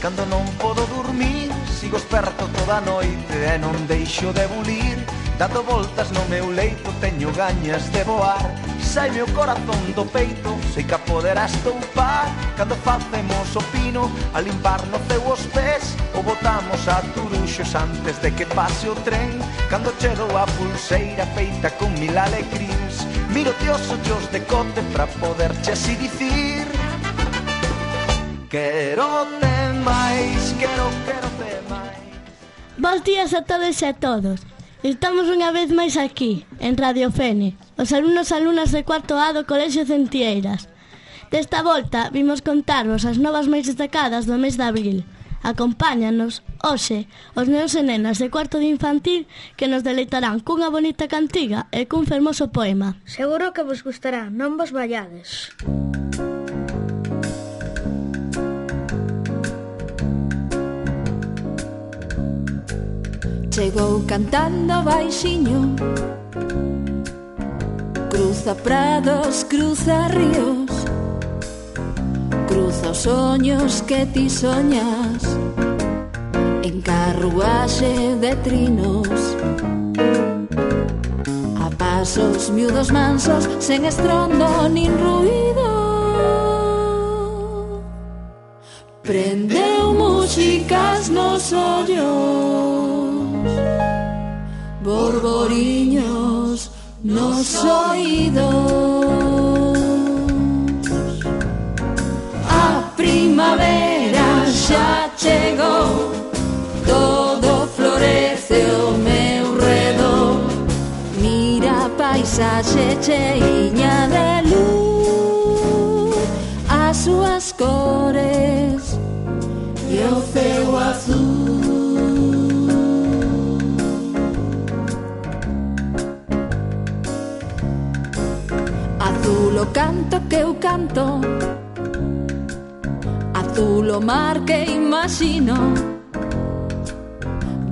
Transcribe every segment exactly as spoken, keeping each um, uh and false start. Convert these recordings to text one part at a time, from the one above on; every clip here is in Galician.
Cando non podo dormir, sigo esperto toda a noite e non deixo de bulir. Dando voltas no meu leito, teño gañas de voar. Sai meu corazón do peito, sei que a poderás toupar. Cando facemos o pino, a limpar no ceu os pés, ou botamos a turuxos antes de que pase o tren. Cando che dou a pulseira feita con mil alecrins, miro-te os ollos de cote pra poderche así dicir: quero-te máis, quero, quero-te máis. Bos días a todos e a todos. Estamos unha vez máis aquí, en Radio Fene, os alumnos e alumnas de cuarto A do Colexio Centieiras. Desta volta vimos contarvos as novas máis destacadas do mes de abril. Acompáñanos, hoxe, os nenos e nenas de cuarto de infantil que nos deleitarán cunha bonita cantiga e cun fermoso poema. Seguro que vos gustará, non vos vallades. Chegou cantando baixiño, cruza prados, cruza ríos, cruza os soños que ti soñas, en carruaxe de trinos, a pasos miúdos mansos, sen estrondo nin ruído. Prendeu músicas nos ollos, borboriños nos oídos. A primavera xa chegou, todo florece ao meu redor. Mira a paisaxe cheiña de luz, as súas cores e o ceo azul. Azul o canto que eu canto, azul o mar que imagino,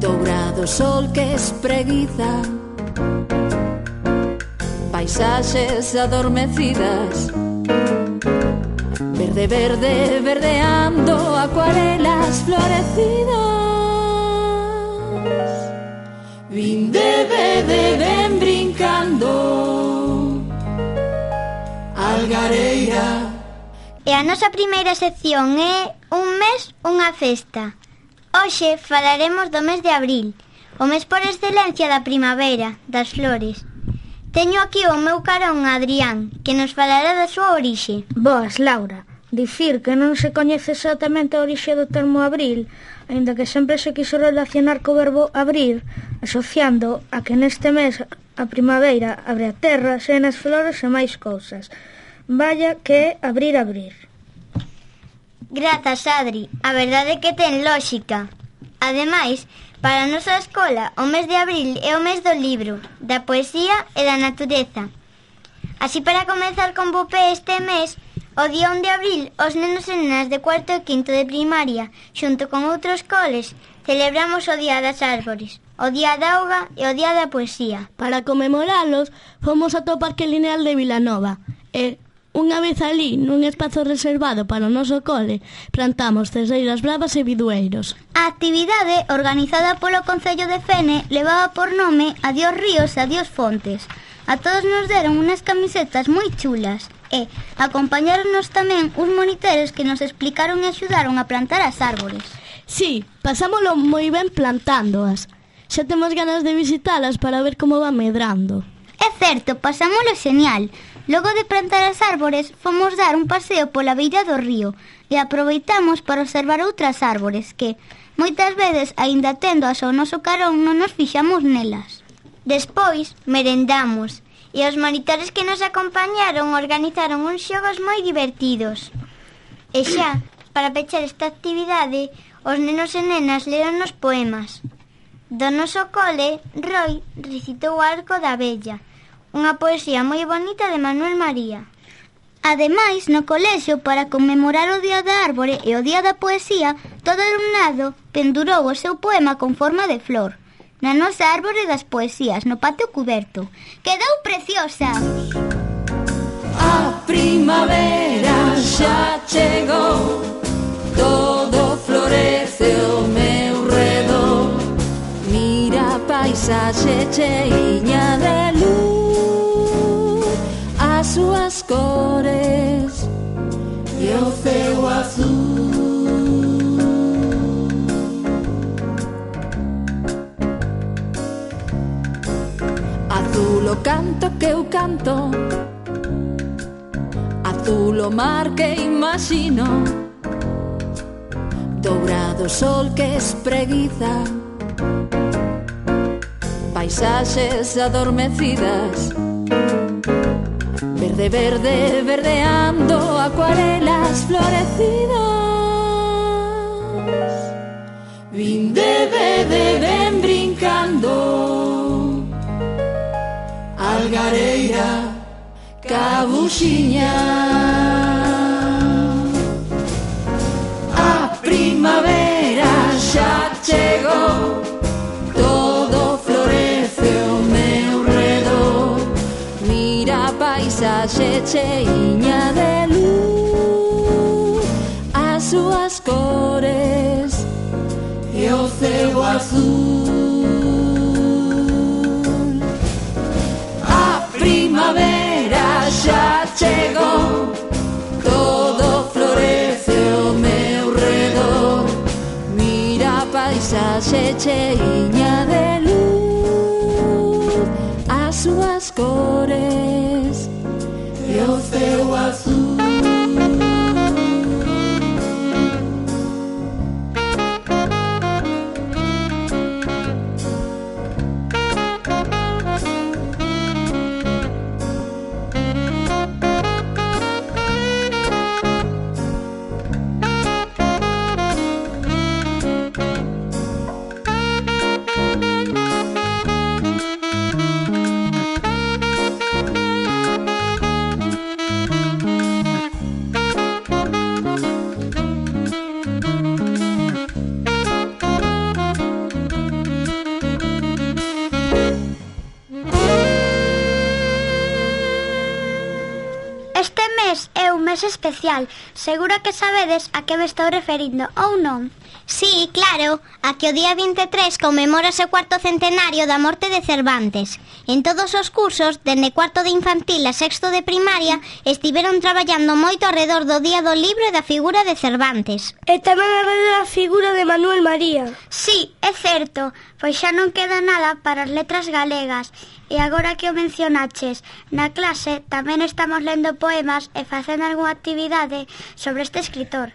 dourado o sol que espreguiza, paisaxes adormecidas, verde, verde, verdeando, acuarelas florecidas. Vinde, bebe, ven brincando, algareira. E a nosa primeira sección é Un mes, unha festa. Hoxe falaremos do mes de abril, o mes por excelencia da primavera, das flores. Teño aquí o meu carón Adrián, que nos falará da súa orixe. Boas, Laura. Dicir que non se coñece exactamente a orixe do termo abril, aínda que sempre se quiso relacionar co verbo abrir, asociando a que neste mes a primavera abre a terra, senas flores e máis cousas. Vaya que abrir, abrir. Grazas, Adri. A verdade é que ten lóxica. Ademais, para a nosa escola, o mes de abril é o mes do libro, da poesía e da natureza. Así, para comezar con bo pé este mes, o día un de abril, os nenos e nenas de cuarto e quinto de primaria, xunto con outros coles, celebramos o Día das Árbores, o Día da Auga e o Día da Poesía. Para conmemoralos, fomos ata o Parque Lineal de Vilanova e, unha vez ali, nun espazo reservado para o noso cole, plantamos ceseiras bravas e bidueiros. A actividade, organizada polo Concello de Fene, levaba por nome Adiós Ríos e Adiós Fontes. A todos nos deron unas camisetas moi chulas e acompañáronos tamén uns monitores que nos explicaron e axudaron a plantar as árbores. Sí, pasámolo moi ben plantándoas. Xa temos ganas de visitalas para ver como van medrando. É certo, pasámolo genial. Logo de plantar as árbores, fomos dar un paseo pola beira do río e aproveitamos para observar outras árbores que, moitas veces, aínda tendo as ao noso carón, non nos fixamos nelas. Despois, merendamos e os monitores que nos acompañaron organizaron uns xogos moi divertidos. E xa, para pechar esta actividade, os nenos e nenas leron os poemas. Do noso cole, Roy recitou o Arco da Abella, unha poesía moi bonita de Manuel María. Ademais, no colexio, para conmemorar o Día da Árbore e o Día da Poesía, todo o alumnado pendurou o seu poema con forma de flor na nosa árbore das poesías, no patio cuberto. Quedou preciosa! A primavera xa chegou, todo florece paisaxe cheiña de luz, as súas cores e o ceo azul. Azul o canto que eu canto, azul o mar que imagino, dourado sol que espreguiza paisaxes adormecidas, verde, verde, verdeando acuarelas florecidas. Vinde, bebe, ven brincando, algareira, cabuxiña. A primavera xa chegou, todo florece ao meu redor. Mira a paisaxe cheiña de luz, as súas cores e o ceo azul. A primavera xa chegou, todo florece ao meu redor. Mira a paisaxe cheiña de luz, as súas cores e o ceo azul. Especial. Seguro que sabedes a que me estou referindo, ou non? Sí, claro, a que o día vinte e tres conmemórase o cuarto centenario da morte de Cervantes. En todos os cursos, dende cuarto de infantil a sexto de primaria, estiveron traballando moito alrededor do Día do Libro e da figura de Cervantes. E tamén alrededor da figura de Manuel María. Sí, é certo, pois xa non queda nada para as letras galegas. E agora que o mencionaches, na clase tamén estamos lendo poemas e facendo algunha actividade sobre este escritor.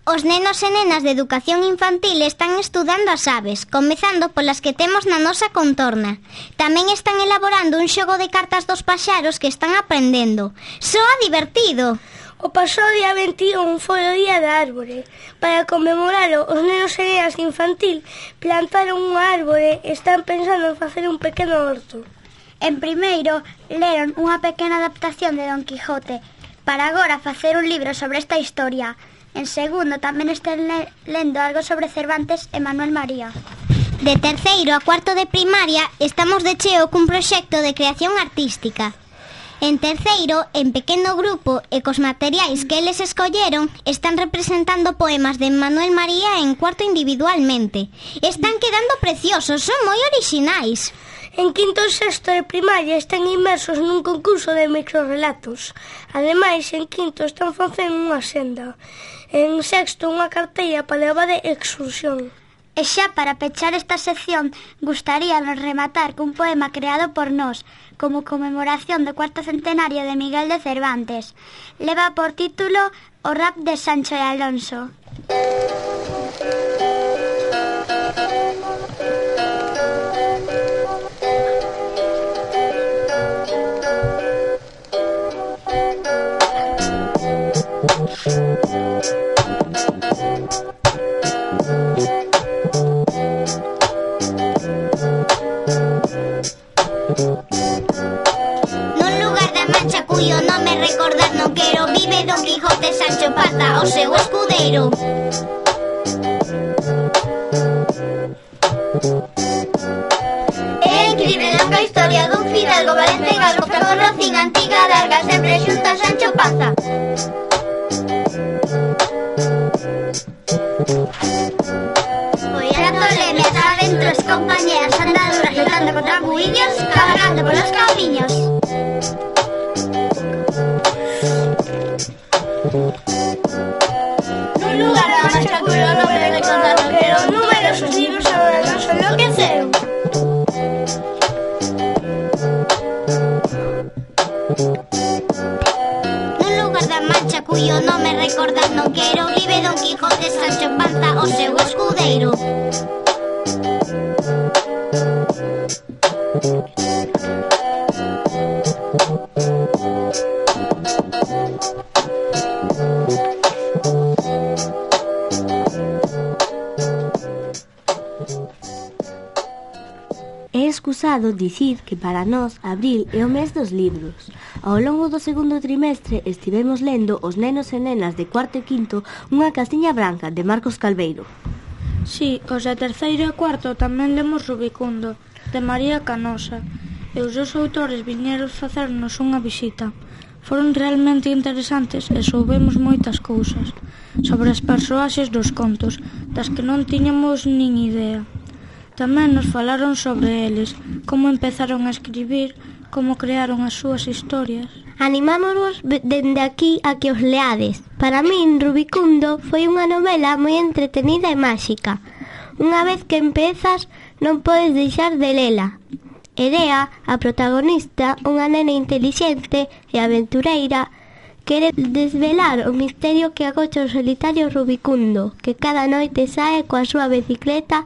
Os nenos e nenas de educación infantil están estudando as aves, comezando polas que temos na nosa contorna. Tamén están elaborando un xogo de cartas dos paxaros que están aprendendo. Soa divertido! O pasado día vinte e un foi o día da árbore. Para conmemoralo, os nenos e nenas infantil plantaron unha árbore e están pensando en facer un pequeno horto. En primeiro, leron unha pequena adaptación de Don Quijote, para agora facer un libro sobre esta historia. En segundo, tamén están le lendo algo sobre Cervantes e Manuel María. De terceiro a cuarto de primaria, estamos de cheo cun proxecto de creación artística. En terceiro, en pequeno grupo e cos materiais que eles escolleron, están representando poemas de Manuel María en cuarto individualmente. Están quedando preciosos, son moi orixinais. En quinto e sexto de primaria están inmersos nun concurso de microrelatos. Ademais, en quinto están facendo unha senda. En sexto, unha cartella para levar de excursión. E xa para pechar esta sección, gustaríanos rematar cun poema creado por nós, como conmemoración do cuarto centenario de Miguel de Cervantes. Leva por título O rap de Sancho e Alonso. Nun lugar da Mancha cuyo nome recordar non quero, vive Don Quijote Sancho Panza, o seu escudeiro. É incrível longa historia dun fidalgo valente galgo que conocín antiga larga sempre xunto a Sancho Panza. Foi a tolemia, aventuras, compañeras, andaduras, niños cabalgando por los caminos. Nun lugar da marcha cuyo no me recordaron que los números sus libros ahora no son lo que hicieron. Nun lugar da marcha cuyo no me recordaron que era o libre Don Quijote, Sancho Panza o seu escudeiro. É excusado dicir que para nós abril é o mes dos libros. Ao longo do segundo trimestre estivemos lendo Os nenos e nenas de cuarto e quinto, Unha castiña branca, de Marcos Calveiro. Si, os de terceiro e cuarto tamén lemos Rubicundo, de María Canosa, e os dos autores viñeron facernos unha visita. Foron realmente interesantes e soubemos moitas cousas sobre as persoaxes dos contos, das que non tiñamos nin idea. Tamén nos falaron sobre eles, como empezaron a escribir, como crearon as súas historias. Animámonos dende aquí a que os leades. Para min, Rubicundo foi unha novela moi entretenida e máxica. Unha vez que empezas, non podes deixar de lela. Erea, a protagonista, unha nena intelixente e aventureira, quere desvelar o misterio que agocha o solitario Rubicundo, que cada noite sae coa súa bicicleta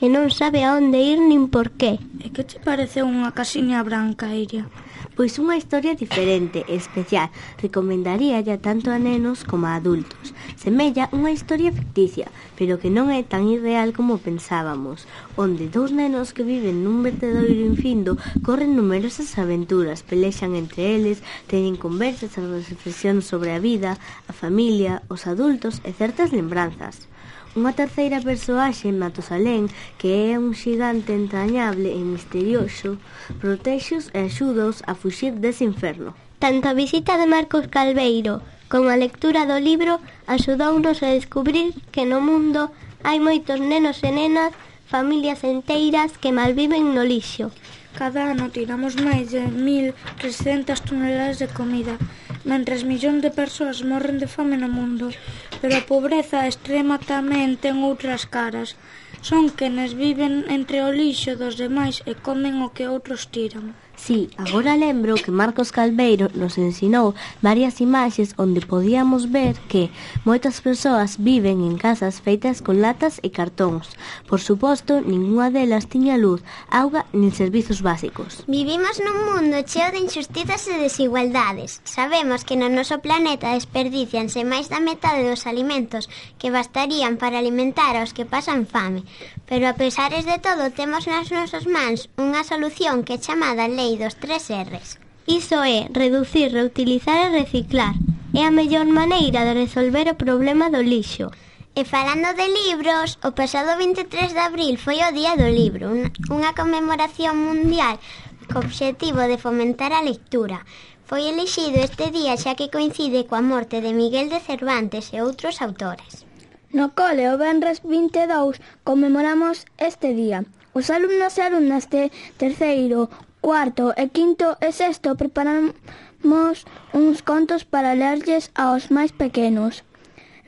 e non sabe a onde ir nin por qué. E que te parece unha casiña branca, Iria? Pois unha historia diferente e especial. Recomendaríalla tanto a nenos como a adultos. Semella unha historia ficticia, pero que non é tan irreal como pensábamos, onde dous nenos que viven nun vertedoiro infindo corren numerosas aventuras, pelexan entre eles, teñen conversas e reflexións sobre a vida, a familia, os adultos e certas lembranzas. Unha terceira persoaxe, Matusalén, que é un xigante entrañable e misterioso, protexos e axúdaos a fuxir dese inferno. Tanto a visita de Marcos Calveiro como a lectura do libro axudounos a descubrir que no mundo hai moitos nenos e nenas, familias enteiras que malviven no lixo. Cada ano tiramos máis de mil trescentas toneladas de comida, mentres millóns de persoas morren de fame no mundo. Pero a pobreza extrema tamén ten outras caras. Son quenes viven entre o lixo dos demais e comen o que outros tiran. Sí, agora lembro que Marcos Calveiro nos ensinou varias imaxes onde podíamos ver que moitas persoas viven en casas feitas con latas e cartóns. Por suposto, ningunha delas tiña luz, auga nin servizos básicos. Vivimos nun mundo cheo de injustizas e desigualdades. Sabemos que no noso planeta desperdicianse máis da metade dos alimentos que bastarían para alimentar aos que pasan fame. Pero a pesares de todo, temos nas nosas mans unha solución que é chamada Lei dos tres erres. Iso é reducir, reutilizar e reciclar. É a mellor maneira de resolver o problema do lixo. E falando de libros, o pasado vinte e tres de abril foi o Día do Libro, unha conmemoración mundial co obxectivo de fomentar a lectura. Foi elixido este día xa que coincide coa morte de Miguel de Cervantes e outros autores. No cole, o venres vinte e dous, conmemoramos este día. Os alumnos e alumnas de terceiro, cuarto e quinto e sexto preparamos uns contos para lerlles aos máis pequenos.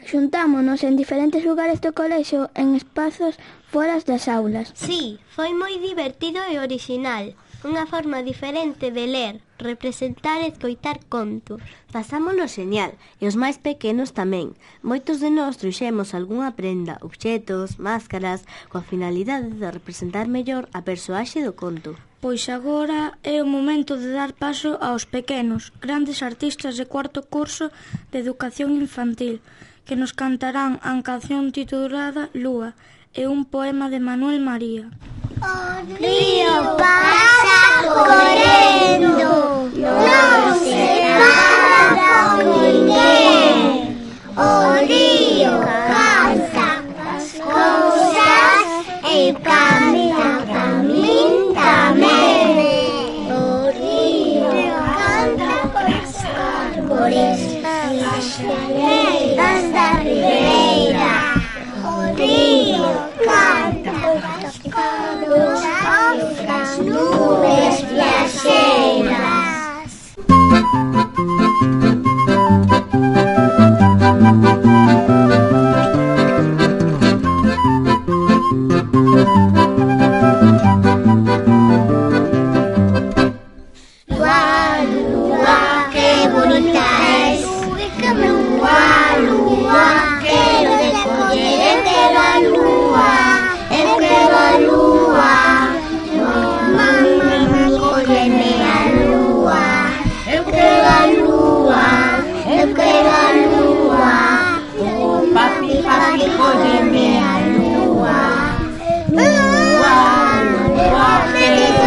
Xuntámonos en diferentes lugares do colexio en espazos foras das aulas. Sí, foi moi divertido e orixinal. Unha forma diferente de ler, representar e escoitar contos. Pasámoslo xeñal, e os máis pequenos tamén. Moitos de nós trouxemos algunha prenda, obxetos, máscaras, coa finalidade de representar mellor a persoaxe do conto. Pois agora é o momento de dar paso aos pequenos, grandes artistas de cuarto curso de educación infantil, que nos cantarán a canción titulada Lúa e un poema de Manuel María. O río pasa correndo, non se para con ninguén. O río canta as cousas e canta pra min tamén. O río canta as árbores e as xaleiras da ribeira. O río canta as nubes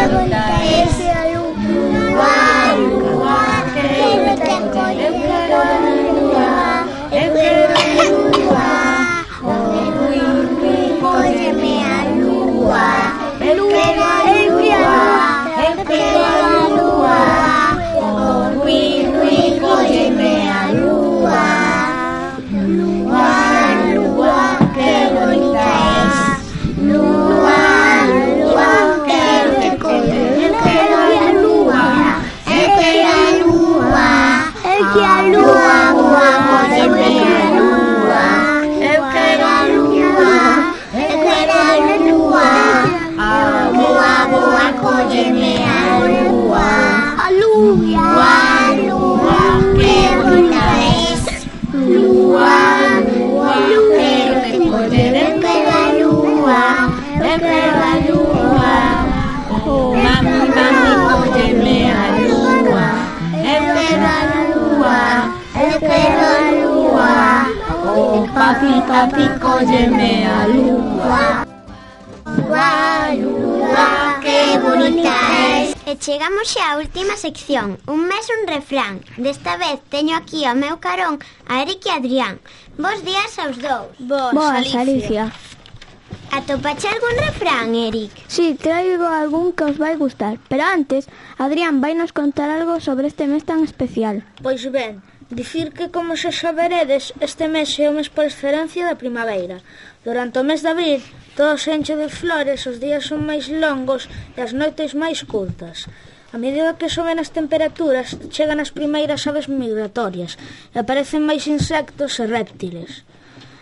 bonita es a lúa, lúa, que bonita colle. Eu quero a lúa, eu quero a lúa, rui, rui, cólleme a lúa. Eu quero a lúa, eu quero a lúa, rui, rui, cólleme a lúa. Lúa, lúa, que bonita es. Lúa, lúa, quero que colle. Eu quero a lúa, eu quero a lúa, eu quero a lúa, lúa, cólleme a lúa. Eu quero a lúa, eu quero a lúa, a lúa, lúa, cólleme a lúa. A lúa, lúa, que bonita es. Lúa, lúa, quero que colle. Eu quero a lúa, eu quero a lúa. Oh, mami, mami, cólleme a lúa. Eu quero a lúa, eu quero a lúa. Oh, papi, papi, cólleme a lúa. Lúa, lúa, que bonita es. E chegamos xa á última sección, un mes un refrán. Desta vez teño aquí ao meu carón a Eric e Adrián. Bos días aos dous. Boas, Boas Alicia. Atopache algún refrán, Eric? Sí, traigo algún que os vai gustar. Pero antes, Adrián vai nos contar algo sobre este mes tan especial. Pois ben, dicir que, como xa saberedes, este mes é o mes por excelencia da primavera. Durante o mes de abril, todo se enche de flores, os días son máis longos e as noites máis curtas. A medida que soben as temperaturas, chegan as primeiras aves migratorias e aparecen máis insectos e réptiles.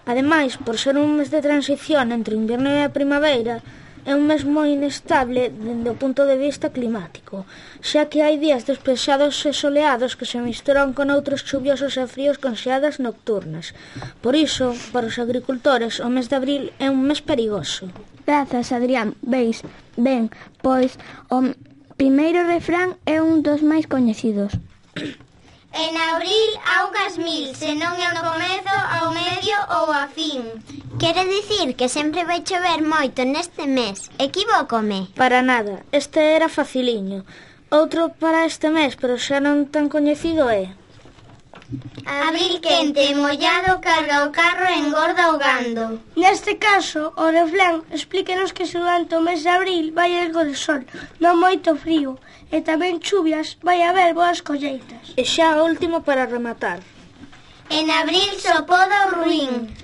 Ademais, por ser un mes de transición entre o inverno e a primavera, é un mes moi inestable dende o punto de vista climático, xa que hai días despexados e soleados que se misturan con outros chuviosos e fríos con xeadas nocturnas. Por iso, para os agricultores, o mes de abril é un mes perigoso. Grazas, Adrián. Veis, ben, pois o primeiro refrán é un dos máis coñecidos. En abril augas mil, se non é no comezo, ao medio ou a fin. Quere dicir que sempre vai chover moito neste mes. Equivócome? Para nada, este era faciliño. Outro para este mes, pero xa non tan coñecido é: abril quente, mollado, carga o carro e engorda o gando. Neste caso, o refrán explíquenos que durante o mes de abril vai algo de sol, non moito frío, e tamén chuvias, vai haber boas colleitas. E xa o último para rematar: en abril so poda o ruín.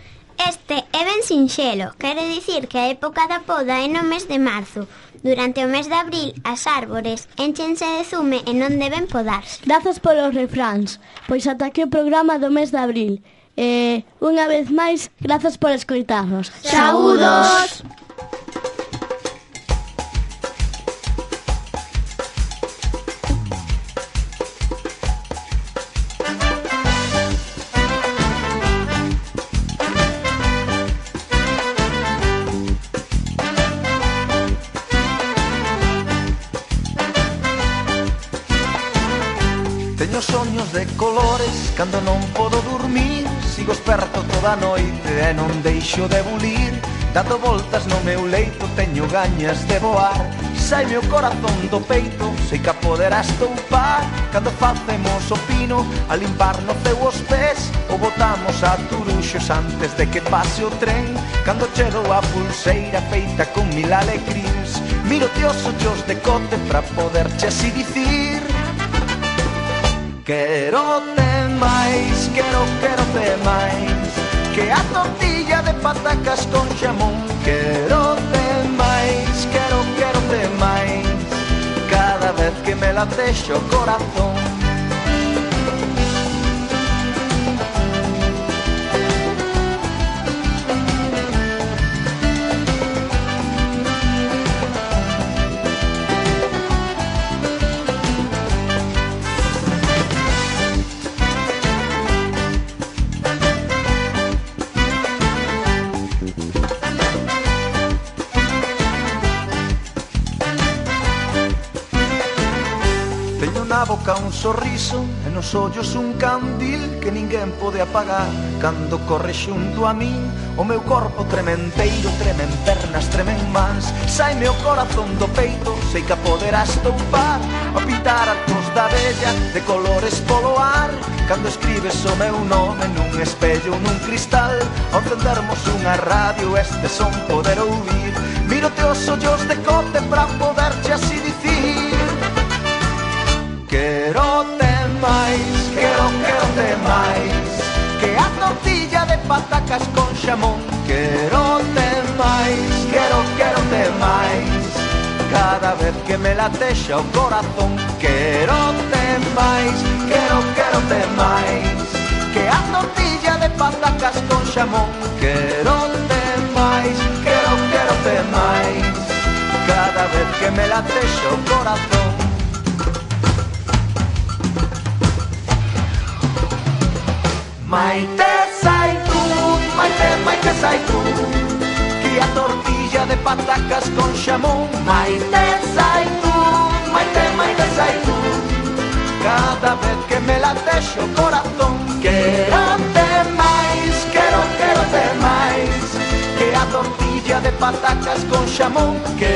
Este é ben sinxelo, quere dicir que a época da poda é no mes de marzo. Durante o mes de abril, as árbores énchense de zume e non deben podarse. Grazas polos refráns, pois ata aquí o programa do mes de abril. E, unha vez máis, grazas por escoitarnos. Saúdos! Teño soños de colores cando non podo dormir. Sigo esperto toda a noite e non deixo de bulir. Dando voltas no meu leito teño gañas de voar. Saime o corazón do peito, sei que a poderás toupar. Cando facemos o pino a limparnos os pés, ou botamos a turuxos antes de que pase o tren. Cando chego a pulseira feita con mil alecrins, miro-te os ollos de cote pra poderche así dicir: quero te máis, quero, quero te máis que a tortilla de patacas con xamón. Quero te máis, quero, quero te máis cada vez que me latexo o corazón. Na boca un sorriso e nos ollos un candil que ninguén pode apagar. Cando corre xunto a min, o meu corpo trementeiro, tremen pernas, tremen mans. Saime o corazón do peito, sei que a poderás toupar, a pintar arcos da bella de colores polo ar. Cando escribes o meu nome nun espello, nun cristal, ao encendermos unha radio este son poder ouvir. Mírote os ollos de cote pra poderche así dicir: quero-te máis, quero, quero-te máis que a tortilla de patacas con xamón. Quero-te máis, quero, quero-te máis cada vez que me latexa o corazón. Quero-te máis, quero, quero-te máis que a tortilla de patacas con xamón. Quero-te máis, quero, quero-te máis cada vez que me latexa o corazón. Maite Zaitún, Maite, Maite Zaitún, que a tortilla de patacas con xamón. Maite Zaitún, Maite, Maite Zaitún, cada vez que me latexa o corazón. Quero-te máis, quero, quero-te máis que a tortilla de patacas con xamón. Que